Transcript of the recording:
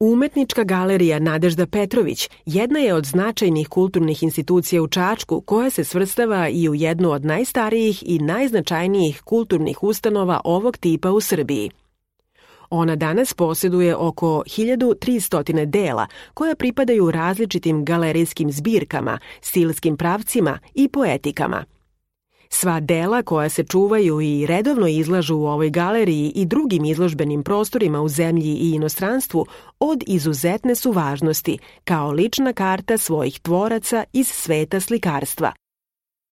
Umetnička galerija Nadežda Petrović jedna je od značajnih kulturnih institucija u Čačku koja se svrstava i u jednu od najstarijih i najznačajnijih kulturnih ustanova ovog tipa u Srbiji. Ona danas posjeduje oko 1300 dela koja pripadaju različitim galerijskim zbirkama, stilskim pravcima i poetikama. Sva dela koja se čuvaju i redovno izlažu u ovoj galeriji i drugim izložbenim prostorima u zemlji i inostranstvu od izuzetne su važnosti kao lična karta svojih tvoraca iz sveta slikarstva.